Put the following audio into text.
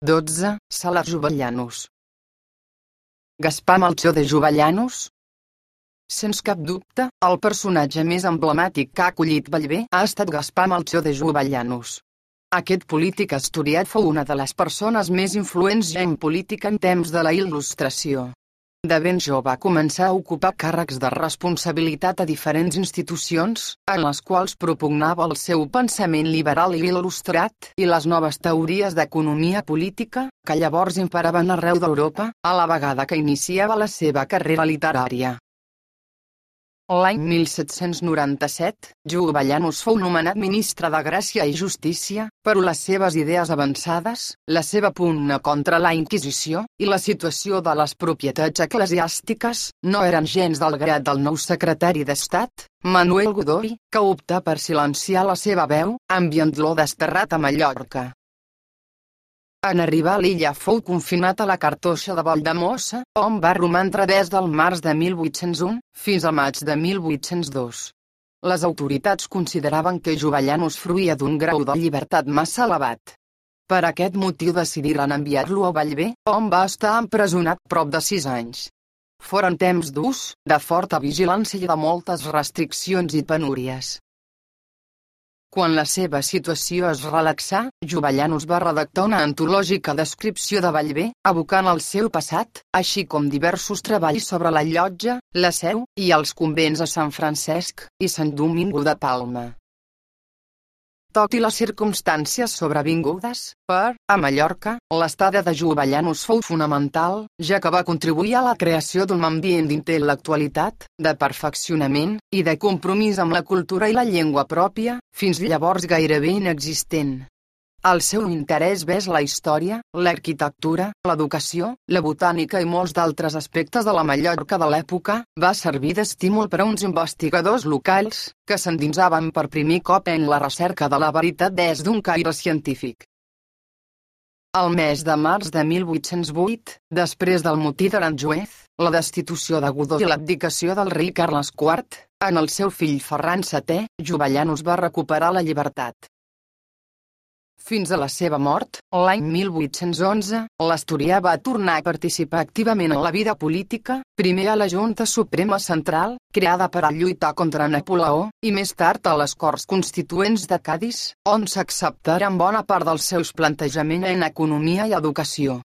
12. Sala Jovellanos. Gaspar Melcior de Jovellanos. Sens cap dubte, el personatge més emblemàtic que ha acollit Bellver ha estat Gaspar Melcior de Jovellanos. Aquest polític asturiat fou una de les persones més influents ja en política en temps de la Il·lustració. De ben jove va començar a ocupar càrrecs de responsabilitat a diferents institucions, en les quals propugnava el seu pensament liberal i il·lustrat i les noves teories d'economia política, que llavors imperaven arreu d'Europa, a la vegada que iniciava la seva carrera literària. L'any 1797, Jovellanos fou nomenat ministre de Gràcia i Justícia, però les seves idees avançades, la seva pugna contra la Inquisició i la situació de les propietats eclesiàstiques no eren gens del grat del nou secretari d'Estat, Manuel Godoy, que optà per silenciar la seva veu, enviant-lo desterrat a Mallorca. En arribar a l'illa fou confinat a la Cartoixa de Valldemossa, on va romandre des del març de 1801 fins al maig de 1802. Les autoritats consideraven que Jovellanos fruïa d'un grau de llibertat massa elevat. Per aquest motiu decidiren enviar-lo a Bellver, on va estar empresonat prop de 6 anys. Foren temps durs, de forta vigilància i de moltes restriccions i penúries. Quan la seva situació es relaxà, Jovellanos va redactar una antològica descripció de Bellver, evocant el seu passat, així com diversos treballs sobre la Llotja, la Seu, i els convents a Sant Francesc i Sant Domingo de Palma. Tot i les circumstàncies sobrevingudes, a Mallorca, l'estada de Jovellanos fou fonamental, ja que va contribuir a la creació d'un ambient d'intel·lectualitat, de perfeccionament, i de compromís amb la cultura i la llengua pròpia, fins llavors gairebé inexistent. El seu interès vers la història, l'arquitectura, l'educació, la botànica i molts d'altres aspectes de la Mallorca de l'època, va servir d'estímul per a uns investigadors locals, que s'endinsaven per primer cop en la recerca de la veritat des d'un caire científic. El mes de març de 1808, després del motí d'Aranjuez, la destitució de Godoy i l'abdicació del rei Carles IV, en el seu fill Ferran VII, Jovellanos va recuperar la llibertat. Fins a la seva mort, l'any 1811, l'asturià va tornar a participar activament en la vida política, primer a la Junta Suprema Central, creada per a lluitar contra Napoleó, i més tard a les Corts Constituents de Cadis, on s'acceptaren bona part dels seus plantejaments en economia i educació.